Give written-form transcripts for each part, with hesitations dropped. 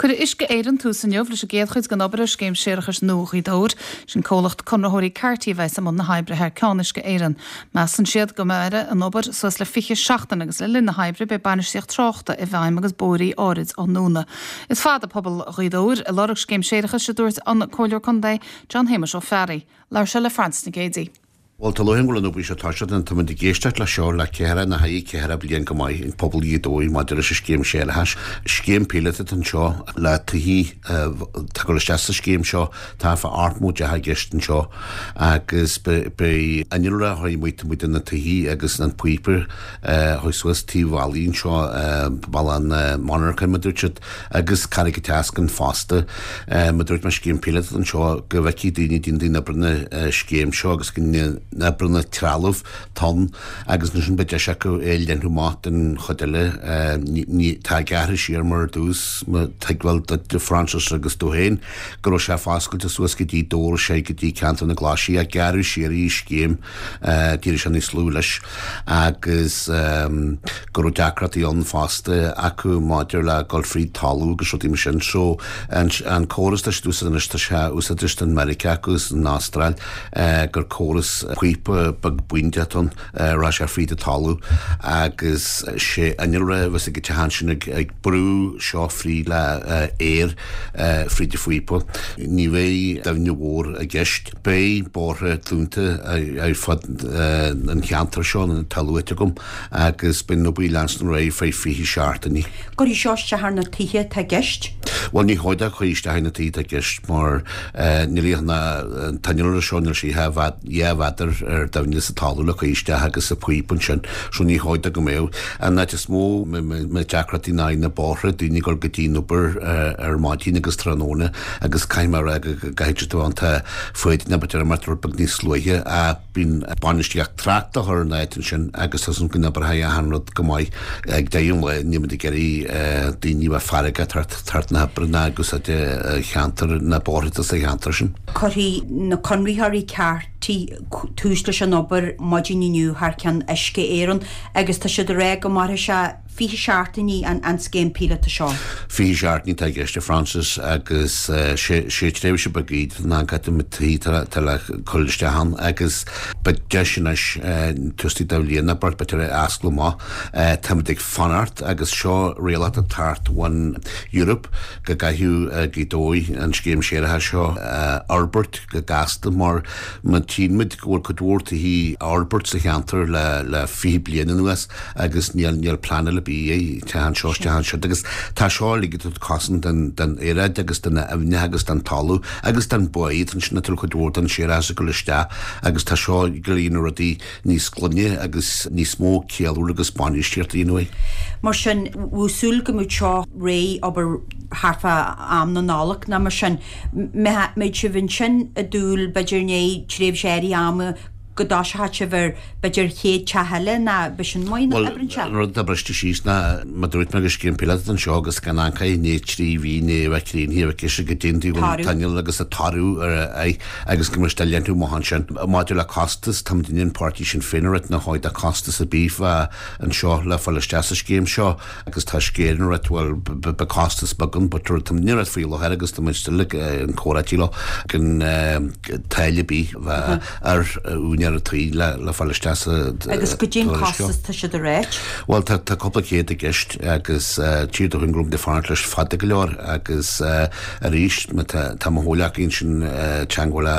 Cuirfidh Uisce Éireann tús inniu leis an gcéad chuid den obair ar Scéim Séarachais nua Ghaoth Dobhair. Sin comhlacht conraitheoirí Carty a bheas i mbun na hoibre thar ceann Uisce Éireann. Measann siad go mairfidh an obair suas le 20 seachtain agus le linn na hoibre beidh bainistíocht tráchta i bhfeidhm agus bóithrí áirid á ndúnadh. Is fada pobal Ghaoth Dobhair ag lorg scéim séarachais, a dúirt an Comhairleoir Contae John Shéamuis Ó Fearraigh. Labhair sé le Frances Nic Géadaigh. Bhuel, tá lúcháir orm go bhfuil an obair seo tosaithe tá muid ag éisteacht le seo le ceithre nó thar cheithre bliain go maith ag pobal Ghaoth Dobhair maidir leis an scéim séarachais. Scéim píolóta atá anseo le tithe atá ag dul isteach sa scéim seo, tá fá 80 teach i gceist anseo agus beidh innealra a chuir amuigh taobh amuigh de na tithe agus an píopa a chuaigh suas taobh bhealaigh anseo, bealach na monarchan mar a dúirt siad. agus Carraig an tSeascainn fosta. Mar a dúirt mé scéim píolóta anseo go bhfeicfidh daoine daoine na oibreanna scéim seo agus go n-oibreanna trealamh tonn agus ansin beidh deis acu é a leathnú amach don chuid eile. Ní tá gearrtha siar mar ar dtús má tuigbheáil duit a Frances agus tú féin go raibh sé foscailte suas go dtí Dobhar sé go dtí ceantar na Glaise ach gearradh siar í scéim d'éirigh sé níos lú leis agus go raibh deacrachtaí ann fosta acu maidir le dul fríd talamh agus rudaí mar sin. So an córas atá siad úsáid anois tá sé úsáidte in Meiriceá acu is san Astráil gur córas píopa beag bídeach atá ann rachaidh sé fríd an talamh agus sé innealra a bheas ag an teach ansin ag brú seo fríd le aer fríd an phíopa. Ní bheidh doimhne mhór i gceist. Beidh bóithre dúnta ar fud an cheantair seo atá luaite agam agus beidh an obair ag leanstan ar aghaidh feadh 20 seachtainí. Cuirfidh seo isteach ar na tithe atá i gceist? Bhuel ní chóir dó cur isteach ar na tithe atá i gceist mar níl an t-innealra seo níl sé dhá mhéadar ar doimhne sa talamh le cur isteach agus sa phíopa ansin so ní chóir dó go mbeadh. An áit is mó deacrachtaí ná na bóithre, daoine ag dul go dtí an obair ar maidin agus tráthnóna agus caithfidh mé a rá go gcaithfidh siad a bheith iontach foighdeach b'fhéidir imeacht rud beag níos luaithe ach bíonn bainistíocht tráchta á chur in áit ansin agus tá súil go n-oibreoidh achan rud go maith ag deireadh an lae níl muid ag iarraidh daoine a bheith feargach ag teacht na hoibre ná ag úsáid cheantar na bóithre sa cheantar sin. Cuirfidh na conraitheoirí Carty tús leis an obair maidin inniu thar ceann Uisce Éireann agus tá siad ag rá go mairfidh sé 20 seachtainí an scéim píolóta seo. 20 seachtainí atá i gceist a Frances agus sé tréimhse beag í don am caite na tithe atá le cur isteach ann agus beidh deis anois tús de bhliain a beirt b'fhéidir a oscailt amach. Táimid ag fanacht agus seo rialacha ag teacht ón Europe go gcaithfidh Gaoth Dobhair an scéim séarachais seo a fhorbairt go gasta mar má tchíonn muid go bhfuil cuid mhór tithe á fhorbairt sa cheantar le 20 bliain anuas agus níl níl pleanáil ar bith ag teach anseo is teach ansiúd agus tá seo uilig ag tabhairt cosaint don don aeráid agus do na aibhneacha agus don talamh agus don báigh atá ansin atá cuid mhór den séarachas ag dul isteach agus tá seo ag dul a dhéanamh rudaí níos glaine agus níos mó ceiliúradh agus bainistíocht a dhéanamh air. Mar sin, bheadh súil go mbeadh seo réidh obair thart fá am na Nollag nó mar sin. Mbeidh sibh ansin ag dúil b'fhéidir i ndiaidh tréimhse áirithe ama go dtoiseoidh sibh ar b'fhéidir chéad teach eile nó b'shin mar a Bhuel, oibreann sé. an rud atá briste síos ná, mar dúirt mé gur scéim píolóta anseo agus gan ancaí i ndiaidh 3 mhí i ndiaidh a bheith críochnaithe a bheith ceiste go dtéann tú an t-inneall agus an toradh ar a aghaidh agus go mbeidh sé leathnú amach ansin. Maidir le costas, táimid i ndiaidh an páirtí Sinn Féin a rith nach bhfuil de costas ar bith anseo le fáil isteach sa scéim seo. agus tá Uisce Éireann ag ráit bhuel beidh costas beag ann but tá muid ag ráit faoi láthair agus tá muid still ag an comhráití leo gan táille ar bith bheith ar úinéir an tí le le fáil isteach sa Agus goidé an costas tá siad ag ráit? Bhuel tá tá cúpla céad i gceist agus tír do thuinn go raibh muid ag fanacht leis fada go leor agus arís má tá tá mo chomhghleacaí ansin teangmháil le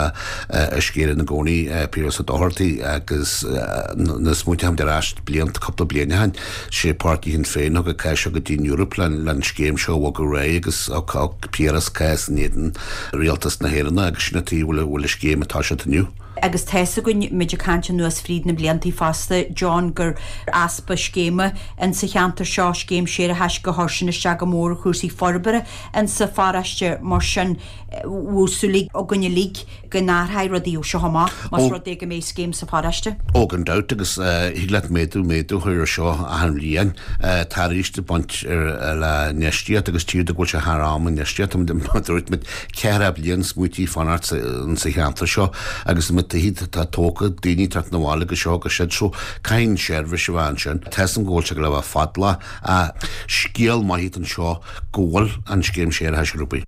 Uisce Éireann i gcónaí Piaras Ó Dochartaigh agus na smaointe ar ais blianta cúpla bliain ó shin Sé páirtí Shinn Féin a thug an cás seo go dtí an Eoraip le an scéim seo a bhogadh ar aghaidh agus thug Piaras cás in éadan Rialtas na hÉireann agus sin an tuige a bhfuil an scéim atá sé inniu. Agus tá's againn, muid ag caint anuas fríd na bliantaí fosta, John, gur easpa scéime insa cheantar seo, scéim séarachais gur chuir sin isteach go mór ar chúrsaí forbartha insa pharóiste. Mar sin, bheadh súil againn uilig go n-athróidh rudaí ó seo amach, más rud é go mbeidh scéim sa pharóiste. Ó, gan dabht, agus thig leat méadú, méadú a chur ar seo achan bhliain. Tá arís ag baint le infheistíocht agus tchíthear go bhfuil sé thar am infheistíocht. Mar a dúirt muid, 4 bliain smaoití fanacht sa cheantar seo agus muid. tithe atá tógtha, daoine ag teacht 'na bhaile go seo agus siúd so caithfidh an seirbhís a bheith ansin. Tá 'fhios a'm go bhfuil sé ag dul a bheith fadálach ach scéal maith atá anseo go bhfuil an scéim séarachais ar obair.